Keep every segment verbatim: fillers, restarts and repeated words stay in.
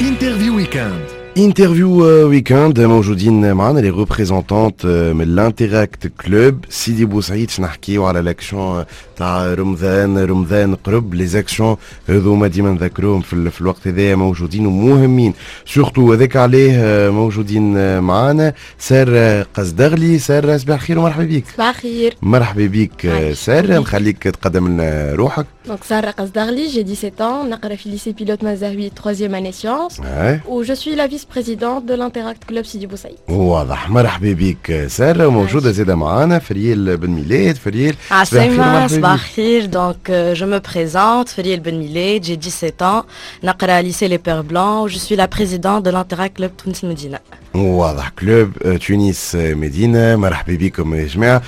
Interview Weekend. Interview Weekend، موجودين معنا les représentantes من l'Interact Club سيدي بوسعيد باش نحكيو على l'action تاع رمضان. رمضان قرب، les actions هذوما ديما نذكروهم في, في الوقت هذايا موجودين ومهمين surtout، هذاك عليه موجودين معنا سارة قزدغلي. سارة، صباح الخير ومرحبا بك. صباح الخير. مرحبا بك سارة، نخليك تقدم لنا روحك. Donc Sarah Qazdarli, j'ai dix-sept ans, نقرا في lycée pilote Mazahoui, troisième année sciences, و je suis la vice-présidente de l'Interact Club Sidi Boussaïd. واضح، مرحبا بك سارة. وموجودة زادة معانا فريال بن ميلاد. فريال. عسلامة، صباح الخير. Donc euh, je me présente, Feriel Ben Miled, j'ai dix-sept ans, نقرا lycée Les Pères Blancs, je suis la présidente de l'Interact Club Tunis Medina. واضح، Club تونس مدينة، مرحبا بكم يا جماعة.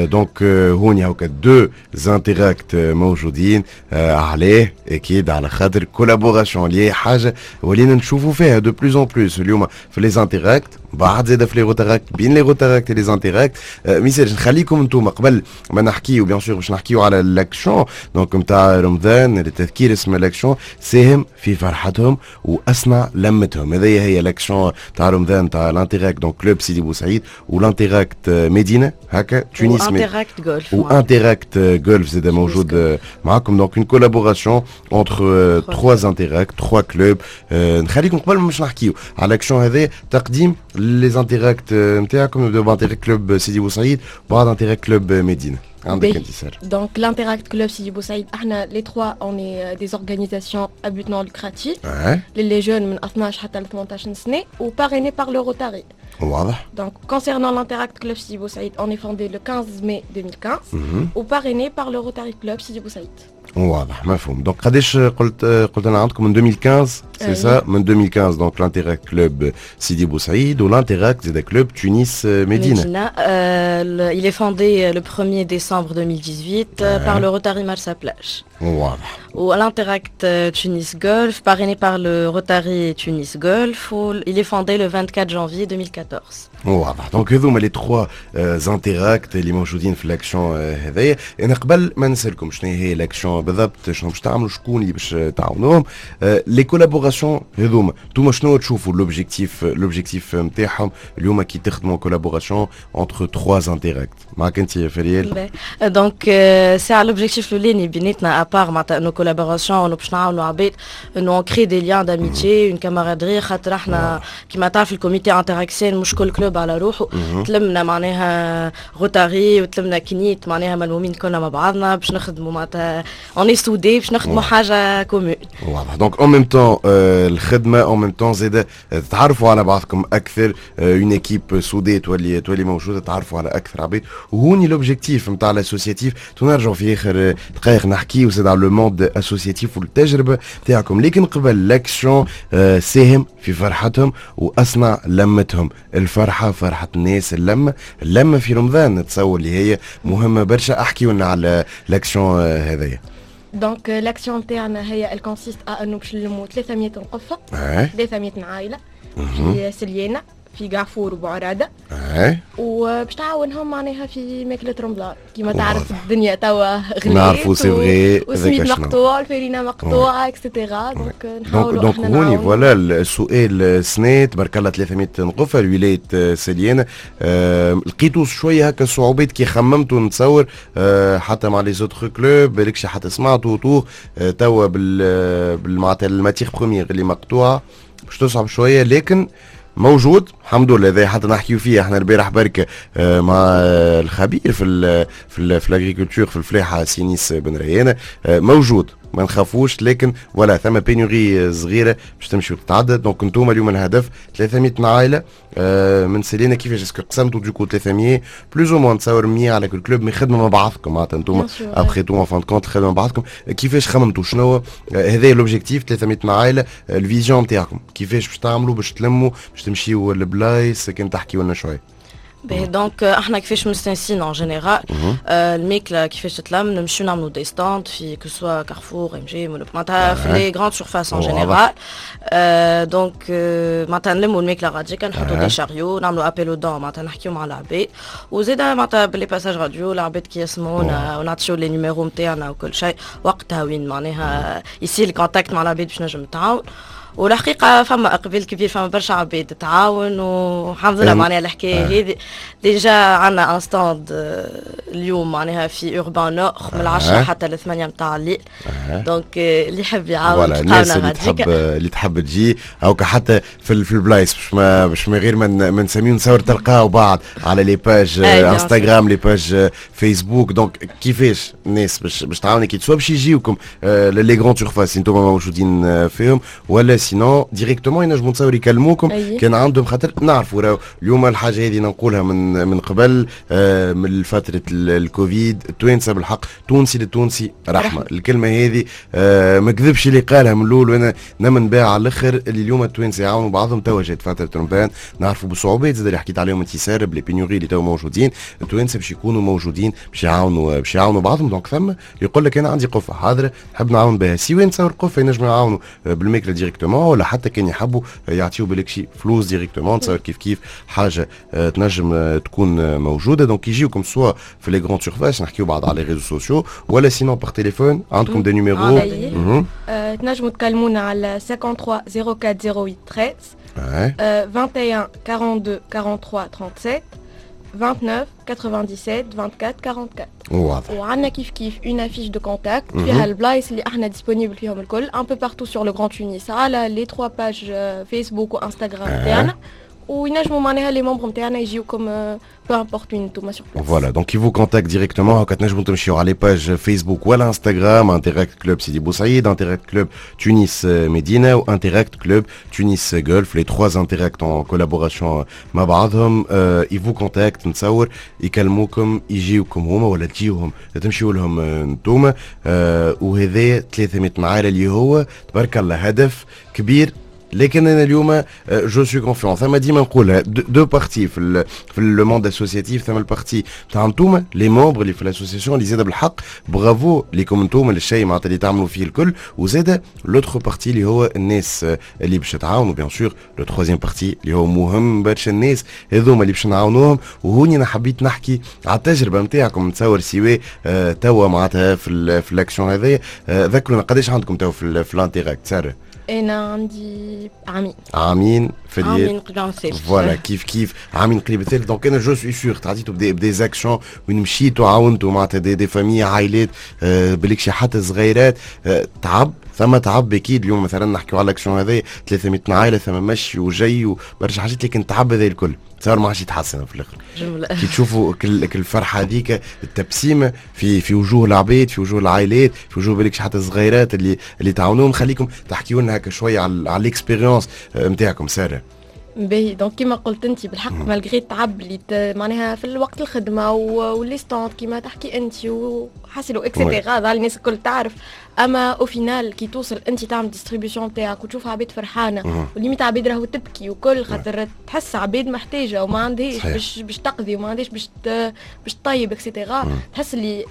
donc هوني هاكا deux Interact موجودين، عليه اكيد على خاطر collaboration اللي حاجة ولينا نشوفوا فيها de plus en plus اليوم في les Interacts، بعد زاد في les Rotaracts، بين les Rotaracts les Interacts. ميسالش، نخليكم انتم قبل ما نحكيو bien sûr باش نحكيو على l'action donc نتاع رمضان. للتذكير، اسم l'action ساهم في فرحتهم واصنع لمتهم. هذه هي l'action تاع رمضان تاع l'Interact donc Club سيدي بوسعيد و l'Interact مدينة هكا تونس و Interact Golf. و Interact Golf زاد موجود معاكم. donc une collaboration entre trois Interacts، trois clubs. نخليكم قبل باش نحكيو على l'action هذا تقديم les Interacts نتاعكم. نبداو ب Interact Club سيدي بوسعيد، بعد Interact Club مدينه. عندك انت سارة. Donc l'Interact Club Sidi Boussaïd، احنا les trois on est des organisations à but non lucratif les jeunes من اثناش حتى ل ثمنطاش سنة و parrainé par le Rotary. واضح. Donc concernant l'Interact Club Sidi Boussaïd، on est fondé le quinze mai deux mille quinze و parrainé par le Rotary Club Sidi Boussaïd. واضح، مفهوم. donc قداش قلت قلت انا عندكم من ألفين وخمسطاش، c'est ça؟ من ألفين وخمسطاش donc l'Interact Club سيدي بوسعيد و l'Interact زاد Club تونس مدينه. مدينة euh, il est fondé le premier décembre deux mille dix-huit ouais. par le Rotary Marsa Plage. واضح. و l'Interact Tunis Golf, parrainé par le Rotary Tunis Golf, و il est fondé le vingt-quatre janvier deux mille quatorze. واضح. donc هذوما les trois Interacts اللي موجودين في l'action هذايا. انا قبل ما نسالكم شنو هي l'action بالضبط، شنو باش تعملوا، شكون اللي باش تعاونوهم، les collaborations هذوما انتوما شنو تشوفوا l'objectif l'objectif نتاعهم اليوم كي تخدموا collaboration entre trois Interacts؟ معك انت فريال. donc c'est l'objectif الاولاني بيناتنا، à part معناتها انه collaboration باش نعاونوا عباد، انه on crée des liens d'amitié، une camaraderie، خاطر احنا كيما تعرف ال comité interactionnel مش كل club على روحه. تلمنا معناها Rotary وتلمنا CNIT، معناها ملمومين كلنا مع بعضنا باش نخدموا، معناتها on est soudés باش نخدموا حاجة commune. واضح. donc en même temps الخدمه، en même temps زاد تتعرفوا على بعضكم اكثر، une équipe soudée تولي تولي موجوده، تعرفوا على اكثر عباد، وهوني l'objectif نتاع l'associatif. نرجعوا في اخر دقائق نحكيو زاد على le monde associatif والتجربة تاعكم، لكن قبل l'action ساهم في فرحتهم واصنع لمتهم. الفرحة فرحه الناس، اللمة اللمة في رمضان نتصور اللي هي مهمة برشا. احكي لنا على l'action هذايا. donc l'action تاعنا هي elle consiste à انه باش نلمو ثلاثمية قفه، ثلاثمية عائلة في سليانه، في قعفور وبعراده، وباش تعاونهم معناها في ماكلة رمضان. كيما تعرف الدنيا توا غليت. نعرفوا، c'est vrai. والسميد مقطوع، الفرينة مقطوعة، et cetera. donc نحاولوا. donc هوني voilà السؤال، سنة تبارك الله ثلاثمية قفة لولاية سليانة، أه لقيتوا شوية هكا صعوبات كي خممتوا؟ نتصور أه حتى مع les autres clubs، بالكش حتى سمعتوا autour أه توا بال بالمعناتها ال matière première اللي مقطوعة باش تصعب شوية، لكن موجود الحمد لله. هذا حتى نحكيو فيه احنا البارح برك آه، مع الخبير في ال في ال في l'agriculture، في الفلاحه، سي أنيس بن ريانه. آه، موجود، ما نخافوش، لكن voilà ثم pénurie صغيرة باش تمشي وتتعدى. donc انتوما اليوم الهدف ثلاثمية عائلة آه، من سلينا. كيفاش؟ est-ce que قسمتوا du coup ثلاثمية plus ou moins، نتصور مية على كل club، mais خدمة مع بعضكم معناتها انتوما après tout، en fin de compte خدمة مع بعضكم. كيفاش خممتوا؟ شنو هذا l'objectif ثلاثمية عائله؟ ال vision نتاعكم كيفاش باش تعملوا باش تلموا، باش تمشيوا للبلايص؟ كان تحكيوا لنا شويه. باهي، donc احنا كيفاش مستانسين en général الماكلة كيفاش تتلم، نمشيو نعملو des stands في que ce soit Carrefour، MG، معناتها في les grandes surfaces en général. donc معناتها نلمو الماكلة غاديكا، نحطو des chariots، نعملو appel aux dons، معناتها نحكيو مع العباد، وزيدا معناتها ب les passages radio العباد كي يسمعونا ونعطيو les numéros نتاعنا وكل شيء، وقتها وين معناها يصير ال contact مع العباد باش نجم تعاون. والحقيقة فما اقبال كبير، فما برشا عباد تعاون، والحمد لله. معناها الحكاية هذه déjà عندنا un stand اليوم معناها في Urbain Nord من العشرة حتى للثمانية نتاع الليل، donc اللي يحب يعاون. voilà، الناس اللي تحب اللي تحب تجي او حتى في في البلايص، باش ما باش ما غير ما نسميو، نصور تلقاو بعض على les pages انستغرام، les pages فيسبوك. donc كيفاش الناس باش باش تعاونك، que ce soit باش يجيوكم les grandes surfaces انتم موجودين فيهم، ولا sinon directement ينجموا تصور يكلموكم كان عندهم، خاطر نعرفوا راهو اليوم الحاجة هذه نقولها من من قبل، آه، من فترة الكوفيد، التوانسة بالحق تونسي للتونسي رحمه. الكلمة هذه آه، ما كذبش اللي قالها من الاول، وانا نمن بها على الاخر، اللي اليوم التوانسة يعاونوا بعضهم. توا جات فترة رمضان، نعرفوا بالصعوبات زاد اللي حكيت عليهم انت ساره، ب les pénuries اللي تو موجودين، التوانسة باش يكونوا موجودين باش يعاونوا باش يعاونوا بعضهم. donc ثم يقول لك انا عندي قفة حاضره نحب نعاون بها، سواء نتصور قفة ينجموا يعاونوا بالماكله directement، ولا حتى كان يحبوا يعطيو بالك شي فلوس directement، نتصور كيف كيف حاجة آه، تنجم آه، تكون موجوده. donc يجيوكم soit في les grandes surfaces، نحكيو بعد على les réseaux sociaux، ولا sinon par téléphone، عندكم des numéros؟ تنجموا تكلمونا على ثلاثة وخمسين أربعة ثمانية ثلاثة عشر، واحد وعشرين اثنين وأربعين ثلاثة وأربعين سبعة وثلاثين، تسعة وعشرين سبعة وتسعين أربعة وعشرين أربعة وأربعين. واضح. وعندنا كيف كيف une affiche de contact فيها البلايص اللي احنا disponibles فيهم الكل un peu partout sur le Grand Tunis، على les trois pages فيسبوك وانستغرام تاعنا، وينجموا معناها les membres نتاعنا يجيوكم peu importe وين انتوما sur place. voilà، donc ils vous contactent directement. هكا تنجموا تمشيو على les pages فيسبوك ولا انستغرام، Interact Club سيدي بوسعيد، Interact Club تونس مدينة و Interact Club تونس Golf، les trois Interact en collaboration مع بعضهم. ils vous contactent، نتصور يكلموكم، يجيوكم هما ولا تجيوهم، تمشيو لهم انتوما. وهذا ثلاثمية عائلة اللي هو تبارك الله هدف كبير، لكن انا اليوم je suis confiant. ثم ديما نقولها deux parties في ال في le monde associatif، ثم ال partie تاع انتوما les membres اللي في l'association، اللي زاد بالحق برافو ليكم انتوما للشيء معناتها اللي تعملوا فيه الكل، وزاد l'autre partie اللي هو الناس اللي باش تعاونوا. bien sûr le troisième partie اللي هو مهم برشا، الناس هذوما اللي باش نعاونوهم. وهوني انا حبيت نحكي على التجربة نتاعكم، نتصور سواء توا معناتها في في l'action هذايا. ذكرونا قداش عندكم توا في في l'Interact ساره؟ انا عندي عامين. عامين في عامين قريب الثالث. voilà، كيف كيف عامين قريب الثالث. donc انا je suis sûr تعديتوا ب des ب des actions وين مشيتوا عاونتوا معناتها des, des familles، عائلات، آه بالك حتى صغيرات. آه تعب، ثم تعب اكيد. اليوم مثلا نحكيو على l'action هذا ثلاثمية عائله، ثم مشي وجاي وبرشا حاجات، لكن تعب هذا الكل صار ما عادش يتحسن في الاخر. جملة. كي تشوفوا كل الفرحة هذيك، التبسيمه في في وجوه العباد، في وجوه العائلات، في وجوه بالك حتى الصغيرات اللي اللي تعاونوهم، خليكم تحكيوا لنا هكا شوية على على l'expérience نتاعكم ساره. باهي، donc كيما قلت انت بالحق malgré التعب اللي معناها في الوقت الخدمة و les stands كيما تحكي انت وحاصيلو et cetera، هذا الناس الكل تعرف، اما au final كي توصل انت تعمل distribution تاعك وتشوف عباد فرحانه، و limite عباد راهو تبكي وكل، خاطر تحس عباد محتاجه وما عندهاش باش باش تقضي وما عندهاش باش باش تطيب et cetera، تحس اللي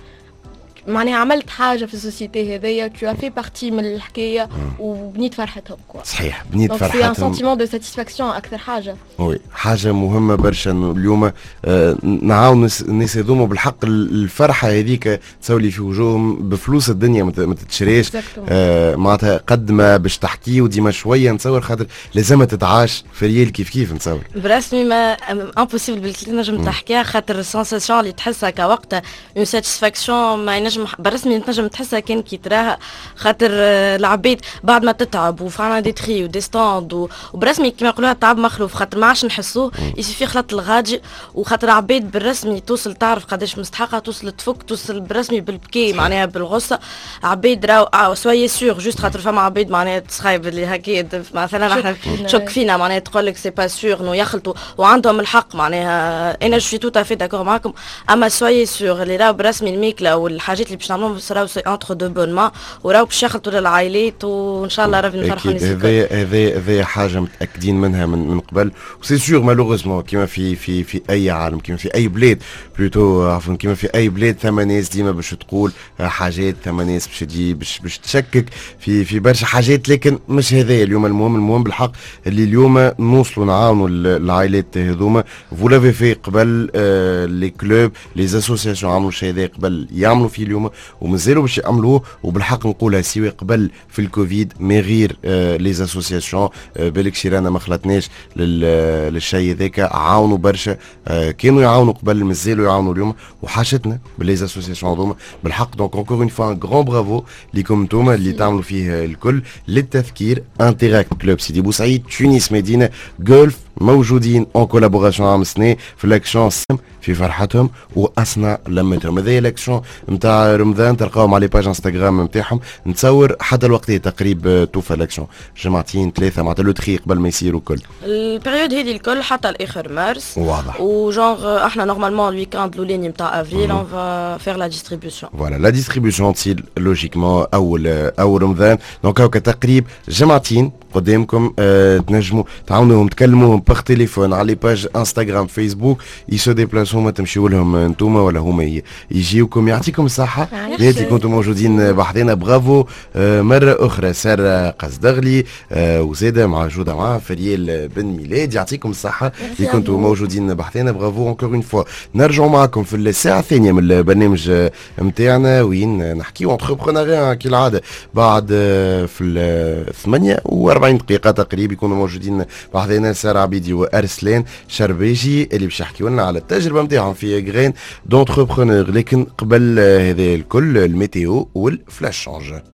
معناها عملت حاجة في ال société هذيا، tu as fait partie من الحكاية وبنيت فرحتهم quoi. صحيح، بنيت فرحتهم. c'est un sentiment de satisfaction اكثر حاجه. oui، حاجة مهمة برشا انه اليوم آه نعاون الناس هذوما. بالحق الفرحة هذيك تسولي في وجوههم بفلوس الدنيا ما تتشريش. آه معناتها قد ما باش تحكي وديما شويه، نتصور خاطر لازم تتعاش في réel كيف كيف نتصور. برسمي ما impossible بالكل نجم تحكيها، خاطر ال sensation اللي تحسها كوقتها une satisfaction ما ينجم برسمي تنجم تحسها كان كي تراها، خاطر العباد بعد ما تتعب وفعلا des tris و des stands، وبرسمي كيما يقولوها التعب مخلوف، خاطر ما عادش نحسوه، il suffit خلط الغادي، وخاطر عباد بالرسمي توصل تعرف قداش مستحقه، توصل تفك، توصل برسمي بالبكي معناها بالغصه. عباد راهو soyez sûrs، juste خاطر فما عباد معناها تسخايب اللي هكا مثلا احنا تشك فينا، معناها تقول لك c'est pas sûr انه يخلطوا، وعندهم الحق، معناها انا je suis tout à fait d'accord معاكم، اما soyez sûrs اللي راهو برسمي الماكلة والحاجات اللي باش نعملوهم راهو c'est entre de bonnes mains، وراهو باش يخلطوا للعائلات، وان شاء الله ربي نفرحوا الناس. هذا هذا هذا حاجة متاكدين منها من من قبل. و c'est sûr malheureusement كيما في في في اي عالم، كيما في اي بلاد plutôt، عفوا، كيما في اي بلاد، ثم ناس ديما باش تقول حاجات، ثم ناس باش تجي باش باش تشكك في في برشا حاجات، لكن مش هذا اليوم المهم. المهم بالحق اللي اليوم نوصلوا نعاونوا العائلات هذوما. vous l'avez fait قبل، آه les clubs، les associations عملوا الشيء هذا قبل، يعملوا فيه. اليوم ومازالوا باش يعملوه. وبالحق نقولها، سواء قبل في الكوفيد mais غير les associations، بالك شيرانا ما خلطناش للشيء هذاك، عاونوا برشا، آه، كانوا يعاونوا قبل، مازالوا يعاونوا اليوم، وحاجتنا ب les associations هذوما بالحق. donc encore une fois un grand bravo ليكم انتوما اللي تعملوا فيه الكل. للتذكير، Interact Club سيدي بوسعيد، تونس مدينة جولف موجودين en collaboration عام سنة في l'action في فرحتهم واصنع لمتهم. هذه l'action نتاع رمضان، تلقاهم على page انستغرام نتاعهم. نتصور حتى الوقت تقريب توفى l'action، جمعتين ثلاثه، معناتها le tri قبل ما يصيروا كل ال période هذه الكل حتى الاخر مارس. واضح. و genre احنا normalement ال week-end الاولاني نتاع avril on va faire la distribution. voilà، la distribution تصير logiquement اول اول رمضان. donc هكا تقريب جمعتين قدامكم، أه تنجموا تعاونوهم، تكلموهم par téléphone، على les pages انستغرام، فيسبوك، ils se déplacent، هما تمشيو لهم انتوما ولا هما يجيوكم. يعطيكم الصحة اللي كنتم موجودين بحذنا. برافو آه مرة أخرى سارة قصدغلي آه وزادة مع جودة مع فريال بن ميلاد، يعطيكم الصحة اللي كنتم موجودين بحذنا. bravo encore une fois. نرجعوا معكم في الساعة الثانية من البرنامج نتاعنا وين نحكيو entrepreneuriat كالعادة. بعد في ال ثمانية وأربعين دقيقة تقريبا يكونوا موجودين بحذنا سارة عبيدي وأرسلان شربيجي اللي باش يحكيوا لنا على التجربة نتاعهم في Graine d'entrepreneur. لكن قبل هذا الكل، ال météo وال flash change.